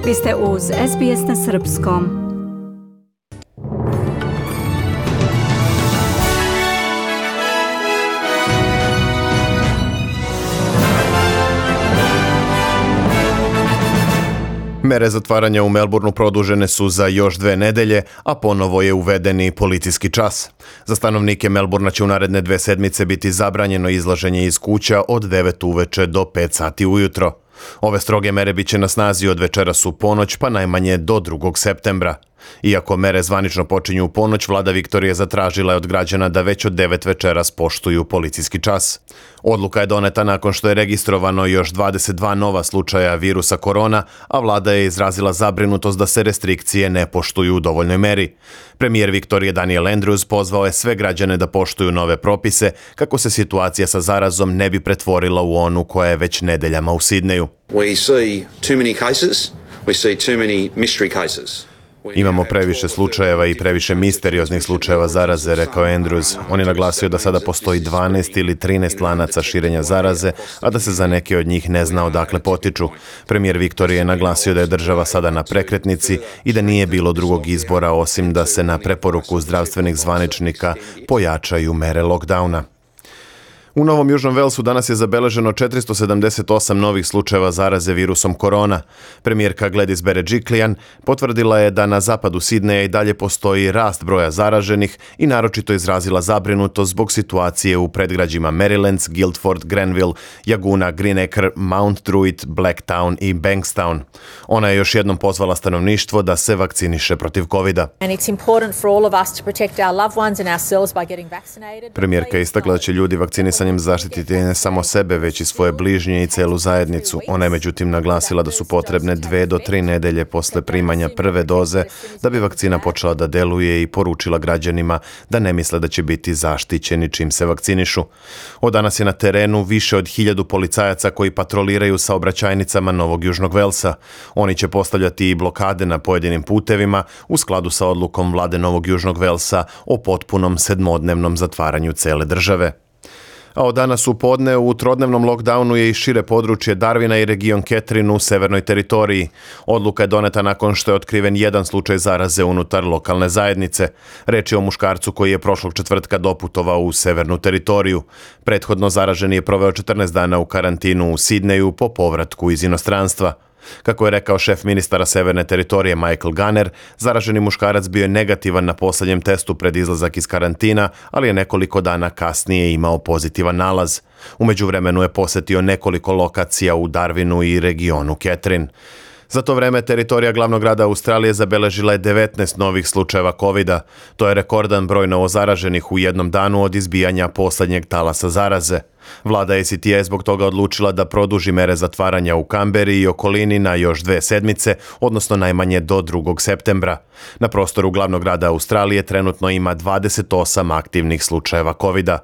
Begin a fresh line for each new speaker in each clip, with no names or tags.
Vi ste uz SBS na srpskom.
Mere zatvaranja u Melbourneu produžene su za još 2 nedelje, a ponovo je uveden i policijski čas. Za stanovnike Melbourna će u naredne 2 sedmice biti zabranjeno izlaženje iz kuća od 9 uveče do 5 sati ujutro. Ove stroge mere bit će na snazi od večeras u ponoć pa najmanje do 2. septembra. Iako mere zvanično počinju u ponoć, vlada Viktorije zatražila je od građana da već od 9 večeras poštuju policijski čas. Odluka je doneta nakon što je registrovano još 22 nova slučaja virusa korona, a vlada je izrazila zabrinutost da se restrikcije ne poštuju u dovoljnoj meri. Premijer Viktorije Daniel Andrews pozvao je sve građane da poštuju nove propise kako se situacija sa zarazom ne bi pretvorila u onu koja je već nedeljama u Sidneju. Imamo previše slučajeva i previše misterioznih slučajeva zaraze, rekao Andrews. On je naglasio da sada postoji 12 ili 13 lanaca širenja zaraze, a da se za neke od njih ne zna odakle potiču. Premijer Viktorije je naglasio da je država sada na prekretnici i da nije bilo drugog izbora osim da se na preporuku zdravstvenih zvaničnika pojačaju mere lockdowna. U Novom Južnom Velsu danas je zabeleženo 478 novih slučajeva zaraze virusom korona. Premijerka Gladys Berejiklian potvrdila je da na zapadu Sidneja i dalje postoji rast broja zaraženih i naročito izrazila zabrinutost zbog situacije u predgrađima Merrylands, Guildford, Granville, Laguna, Greenacre, Mount Druitt, Blacktown i Bankstown. Ona je još jednom pozvala stanovništvo da se vakciniše protiv covida. Premijerka je istakla da će ljudi vakcinisanjem zaštititi ne samo sebe, već i svoje bližnje i celu zajednicu. Ona je međutim naglasila da su potrebne 2 do 3 nedelje posle primanja prve doze da bi vakcina počela da deluje i poručila građanima da ne misle da će biti zaštićeni čim se vakcinišu. Od danas je na terenu više od 1000 policajaca koji patroliraju saobraćajnicama Novog Južnog Velsa. Oni će postavljati i blokade na pojedinim putevima u skladu sa odlukom vlade Novog Južnog Velsa o potpunom 7-dnevnom zatvaranju cele države. A od danas u podne u trodnevnom lockdownu je i šire područje Darwina i region Catherine u severnoj teritoriji. Odluka je doneta nakon što je otkriven jedan slučaj zaraze unutar lokalne zajednice. Reč je o muškarcu koji je prošlog četvrtka doputovao u severnu teritoriju. Prethodno zaraženi je proveo 14 dana u karantinu u Sidneju po povratku iz inostranstva. Kako je rekao šef ministara severne teritorije Michael Gunner, zaraženi muškarac bio je negativan na posljednjem testu pred izlazak iz karantina, ali je nekoliko dana kasnije imao pozitivan nalaz. U međuvremenu je posetio nekoliko lokacija u Darwinu i regionu Catherine. Za to vreme teritorija glavnog grada Australije zabeležila je 19 novih slučajeva covida. To je rekordan broj novozaraženih u jednom danu od izbijanja posljednjeg talasa zaraze. Vlada ACT je zbog toga odlučila da produži mere zatvaranja u Kamberi i okolini na još 2 sedmice, odnosno najmanje do 2. septembra. Na prostoru glavnog grada Australije trenutno ima 28 aktivnih slučajeva covida.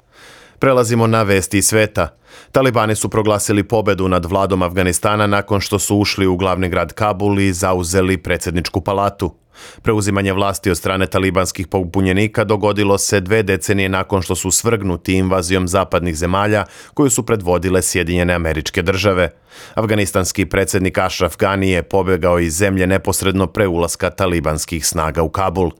Prelazimo na vesti iz sveta. Talibani su proglasili pobedu nad vladom Afganistana nakon što su ušli u glavni grad Kabul i zauzeli predsjedničku palatu. Preuzimanje vlasti od strane talibanskih pobunjenika dogodilo se 2 decenije nakon što su svrgnuti invazijom zapadnih zemalja koju su predvodile Sjedinjene Američke Države. Afganistanski predsjednik Ashraf Ghani je pobjegao iz zemlje neposredno pre ulaska talibanskih snaga u Kabul.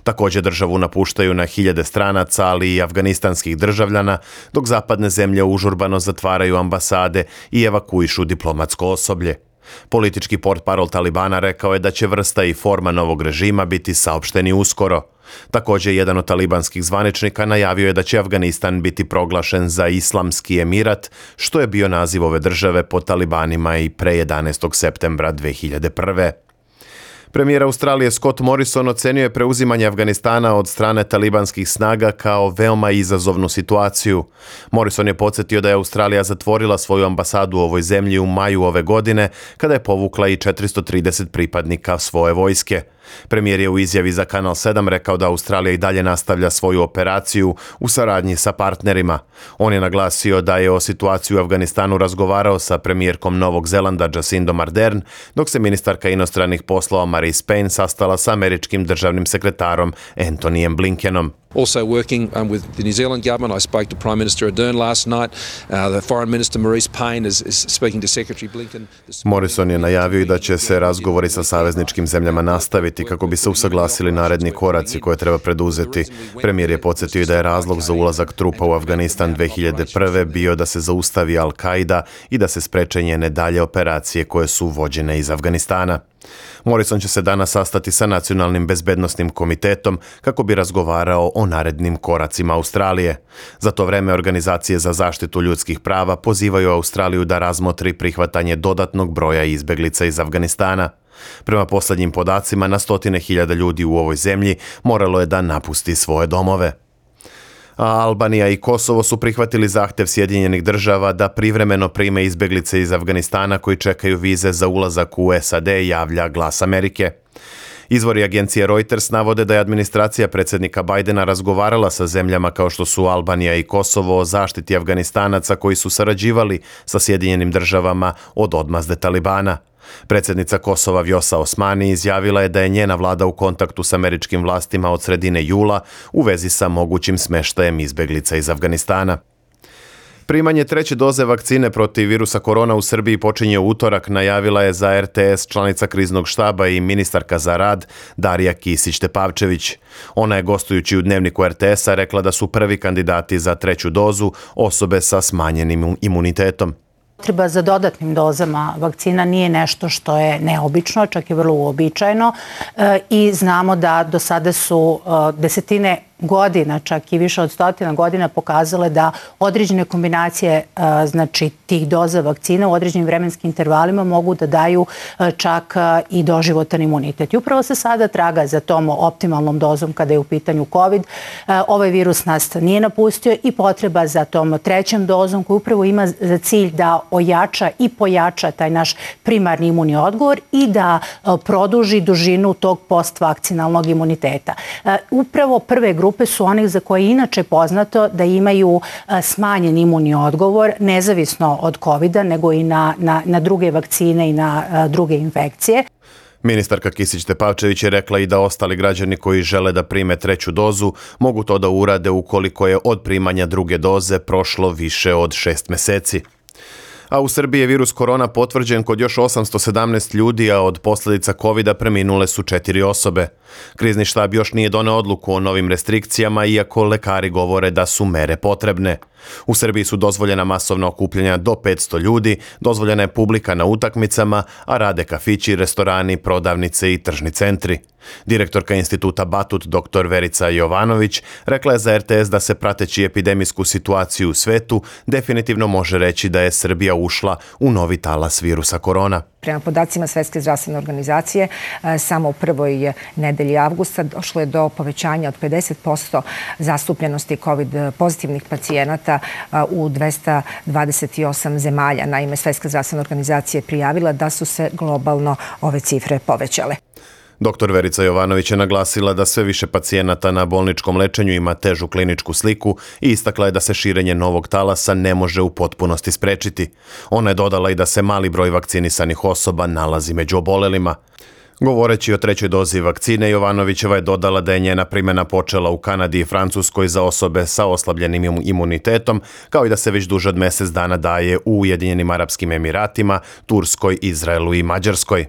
Također državu napuštaju na 1000 stranaca, ali i afganistanskih državljana, dok zapadne zemlje užurbano zatvaraju ambasade i evakuišu diplomatsko osoblje. Politički portparol Talibana rekao je da će vrsta i forma novog režima biti saopšteni uskoro. Također, jedan od talibanskih zvaničnika najavio je da će Afganistan biti proglašen za islamski emirat, što je bio naziv ove države pod talibanima i pre 11. septembra 2001. Premijer Australije Scott Morrison ocenio je preuzimanje Afganistana od strane talibanskih snaga kao veoma izazovnu situaciju. Morrison je podsjetio da je Australija zatvorila svoju ambasadu u ovoj zemlji u maju ove godine, kada je povukla i 430 pripadnika svoje vojske. Premijer je u izjavi za Kanal 7 rekao da Australija i dalje nastavlja svoju operaciju u saradnji sa partnerima. On je naglasio da je o situaciji u Afganistanu razgovarao sa premijerkom Novog Zelanda Jacindom Ardern, dok se ministarka inostranih poslova Marise Payne sastala sa američkim državnim sekretarom Antonyjem Blinkenom.
Also working with the New Zealand government, I spoke to Prime Minister Ardern last night. The Foreign Minister Maurice Payne is speaking to Secretary Blinken.
Morrison je najavio i da će se razgovori sa savezničkim zemljama nastaviti kako bi se usaglasili naredni koraci koje treba preduzeti. Premijer je podsjetio da je razlog za ulazak trupa u Afganistan 2001. bio da se zaustavi Al-Qaida i da se spreče njene dalje operacije koje su vođene iz Afganistana. Morrison će se danas sastati sa Nacionalnim bezbednosnim komitetom kako bi razgovarao o narednim koracima Australije. Za to vreme organizacije za zaštitu ljudskih prava pozivaju Australiju da razmotri prihvatanje dodatnog broja izbeglica iz Afganistana. Prema posljednjim podacima, na stotine hiljada ljudi u ovoj zemlji moralo je da napusti svoje domove. A Albanija i Kosovo su prihvatili zahtjev Sjedinjenih država da privremeno prime izbeglice iz Afganistana koji čekaju vize za ulazak u SAD, javlja Glas Amerike. Izvori agencije Reuters navode da je administracija predsjednika Bidena razgovarala sa zemljama kao što su Albanija i Kosovo o zaštiti Afganistanaca koji su sarađivali sa Sjedinjenim državama od odmazde Talibana. Predsjednica Kosova Vjosa Osmani izjavila je da je njena vlada u kontaktu s američkim vlastima od sredine jula u vezi sa mogućim smještajem izbeglica iz Afganistana. Primanje treće doze vakcine protiv virusa korona u Srbiji počinje u utorak, najavila je za RTS članica kriznog štaba i ministarka za rad Darija Kisić-Tepavčević. Ona je gostujući u Dnevniku RTS-a rekla da su prvi kandidati za treću dozu osobe sa smanjenim imunitetom.
Potreba za dodatnim dozama vakcina nije nešto što je neobično, čak je vrlo uobičajeno i znamo da do sada su desetine godina, čak i više od 100 godina pokazale da određene kombinacije znači tih doza vakcina u određenim vremenskim intervalima mogu da daju čak i doživotan imunitet. I upravo se sada traga za tom optimalnom dozom kada je u pitanju COVID. Ovaj virus nas nije napustio i potreba za tom trećom dozom koja upravo ima za cilj da ojača i pojača taj naš primarni imunni odgovor i da produži dužinu tog postvakcinalnog imuniteta. Upravo prve grupe su onih za koje je inače poznato da imaju smanjen imunni odgovor, nezavisno od COVID-a, nego i na druge vakcine i na druge infekcije.
Ministarka Kisić-Tepavčević je rekla i da ostali građani koji žele da prime treću dozu mogu to da urade ukoliko je od primanja druge doze prošlo više od 6 mjeseci. A u Srbiji je virus korona potvrđen kod još 817 ljudi, a od posljedica COVID-a preminule su 4 osobe. Krizni štab još nije doneo odluku o novim restrikcijama, iako lekari govore da su mere potrebne. U Srbiji su dozvoljena masovna okupljanja do 500 ljudi, dozvoljena je publika na utakmicama, a rade kafići, restorani, prodavnice i tržni centri. Direktorka instituta Batut, dr. Verica Jovanović, rekla je za RTS da se prateći epidemijsku situaciju u svetu definitivno može reći da je Srbija ušla u novi talas virusa korona.
Prema podacima Svetske zdravstvene organizacije, samo u prvoj nedelji avgusta došlo je do povećanja od 50% zastupljenosti COVID pozitivnih pacijenata u 228 zemalja. Naime, Svetska zdravstvena organizacija je prijavila da su se globalno ove cifre povećale.
Dr. Verica Jovanović je naglasila da sve više pacijenata na bolničkom lečenju ima težu kliničku sliku i istakla je da se širenje novog talasa ne može u potpunosti sprečiti. Ona je dodala i da se mali broj vakcinisanih osoba nalazi među obolelima. Govoreći o trećoj dozi vakcine, Jovanovićeva je dodala da je njena primjena počela u Kanadi i Francuskoj za osobe sa oslabljenim imunitetom, kao i da se već duže od mjesec dana daje u Ujedinjenim Arapskim Emiratima, Turskoj, Izraelu i Mađarskoj.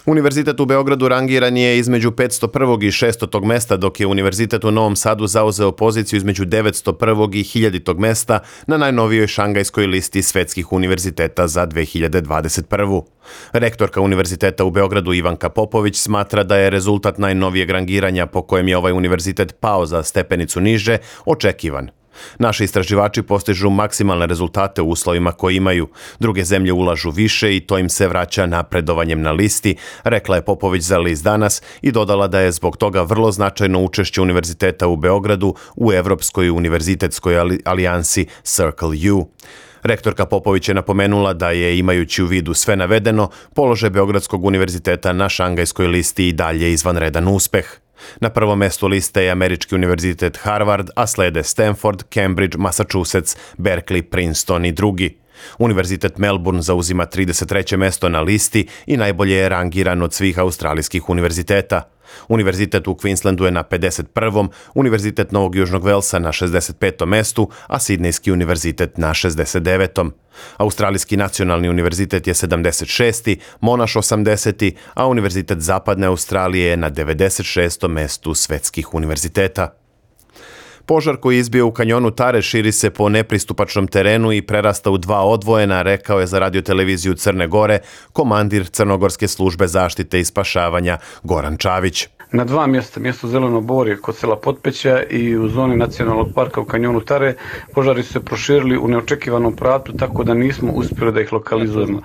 Univerzitet u Beogradu rangiran je između 501. i 600. mesta, dok je Univerzitet u Novom Sadu zauzeo poziciju između 901. i 1000. mesta na najnovijoj šangajskoj listi svetskih univerziteta za 2021. Rektorka Univerziteta u Beogradu Ivanka Popović smatra da je rezultat najnovijeg rangiranja po kojem je ovaj univerzitet pao za stepenicu niže očekivan. Naši istraživači postižu maksimalne rezultate u uslovima koje imaju. Druge zemlje ulažu više i to im se vraća napredovanjem na listi, rekla je Popović za list Danas i dodala da je zbog toga vrlo značajno učešće Univerziteta u Beogradu u Evropskoj univerzitetskoj alijansi Circle U. Rektorka Popović je napomenula da je, imajući u vidu sve navedeno, položaj Beogradskog univerziteta na šangajskoj listi i dalje izvanredan uspeh. Na prvom mjestu liste je Američki univerzitet Harvard, a slede Stanford, Cambridge, Massachusetts, Berkeley, Princeton i drugi. Univerzitet Melbourne zauzima 33. mesto na listi i najbolje je rangiran od svih australijskih univerziteta. Univerzitet u Queenslandu je na 51. Univerzitet Novog Južnog Velsa na 65. mestu, a Sidnejski univerzitet na 69. Australijski nacionalni univerzitet je 76. Monash 80. a Univerzitet Zapadne Australije je na 96. mestu svetskih univerziteta. Požar koji je izbio u kanjonu Tare širi se po nepristupačnom terenu i prerasta u 2 odvojena, rekao je za radioteleviziju Crne Gore komandir Crnogorske službe zaštite i spašavanja Goran Čavić.
Na 2 mjesta, mjesto Zeleno Borje kod sela Potpeća i u zoni nacionalnog parka u kanjonu Tare, požari su se proširili u neočekivanom pravcu, tako da nismo uspjeli da ih lokalizujemo.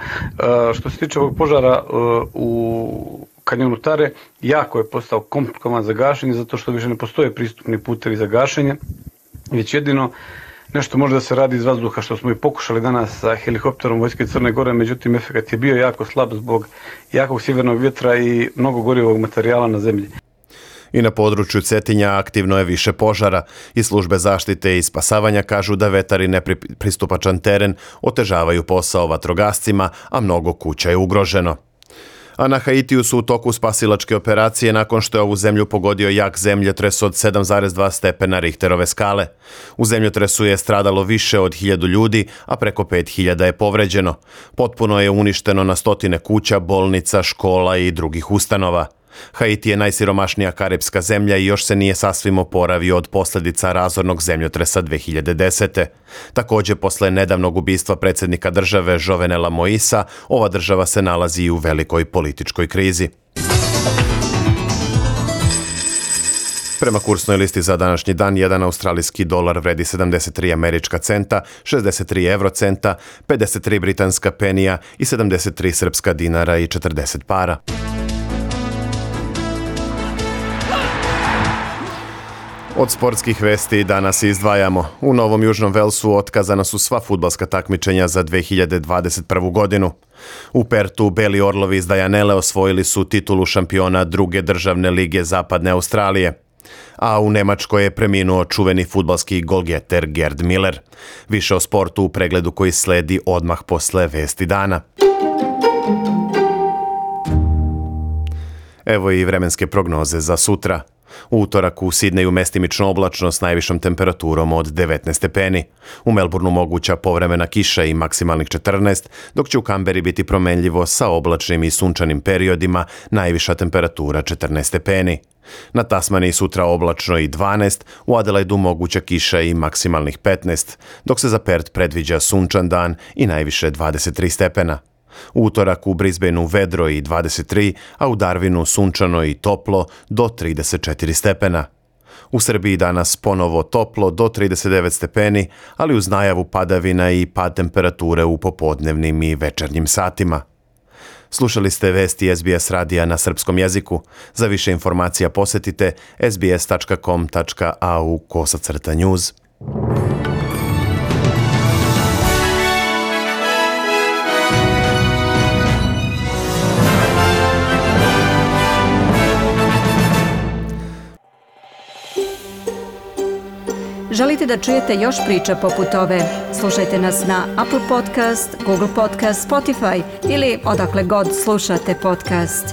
Što se tiče ovog požara u kanjonu Tare, jako je postao komplikovan za gašenje, zato što više ne postoje pristupni putevi za gašenje, već jedino nešto može da se radi iz vazduha, što smo i pokušali danas sa helikopterom Vojske Crne Gore, međutim efekat je bio jako slab zbog jakog sjevernog vjetra i mnogo gorivog materijala na zemlji.
I na području Cetinja aktivno je više požara i službe zaštite i spasavanja kažu da vetar i nepristupačan teren otežavaju posao vatrogascima, a mnogo kuća je ugroženo. A na Haitiju su u toku spasilačke operacije nakon što je ovu zemlju pogodio jak zemljotres od 7,2 stepena Richterove skale. U zemljotresu je stradalo više od 1000 ljudi, a preko 5000 je povređeno. Potpuno je uništeno na stotine kuća, bolnica, škola i drugih ustanova. Haiti je najsiromašnija karipska zemlja i još se nije sasvim oporavio od posljedica razornog zemljotresa 2010. Također, posle nedavnog ubistva predsjednika države Jovenela Moisa, ova država se nalazi u velikoj političkoj krizi. Prema kursnoj listi za današnji dan, 1 australijski dolar vredi 73 američka centa, 63 eurocenta, 53 britanska penija i 73 srpska dinara i 40 para. Od sportskih vesti danas izdvajamo. U Novom Južnom Velsu otkazana su sva fudbalska takmičenja za 2021. godinu. U Pertu Beli Orlovi iz Dajanele osvojili su titulu šampiona druge državne lige Zapadne Australije. A u Nemačkoj je preminuo čuveni fudbalski golgeter Gerd Miller. Više o sportu u pregledu koji sledi odmah posle vesti dana. Evo i vremenske prognoze za sutra. U utorak u Sidneju mestimično oblačno s najvišom temperaturom od 19 stepeni. U Melbourneu moguća povremena kiša i maksimalnih 14, dok će u Kamberi biti promenljivo sa oblačnim i sunčanim periodima, najviša temperatura 14 stepeni. Na Tasmaniji sutra oblačno i 12, u Adelaidu moguća kiša i maksimalnih 15, dok se za Perth predviđa sunčan dan i najviše 23 stepena. U utorak u Brisbaneu vedro i 23, a u Darwinu sunčano i toplo do 34 stepena. U Srbiji danas ponovo toplo do 39 stepeni, ali uz najavu padavina i pad temperature u popodnevnim i večernjim satima. Slušali ste vesti SBS radija na srpskom jeziku. Za više informacija posjetite sbs.com.au/news.
Želite da čujete još priča poput ove? Slušajte nas na Apple Podcast, Google Podcast, Spotify ili odakle god slušate podcast.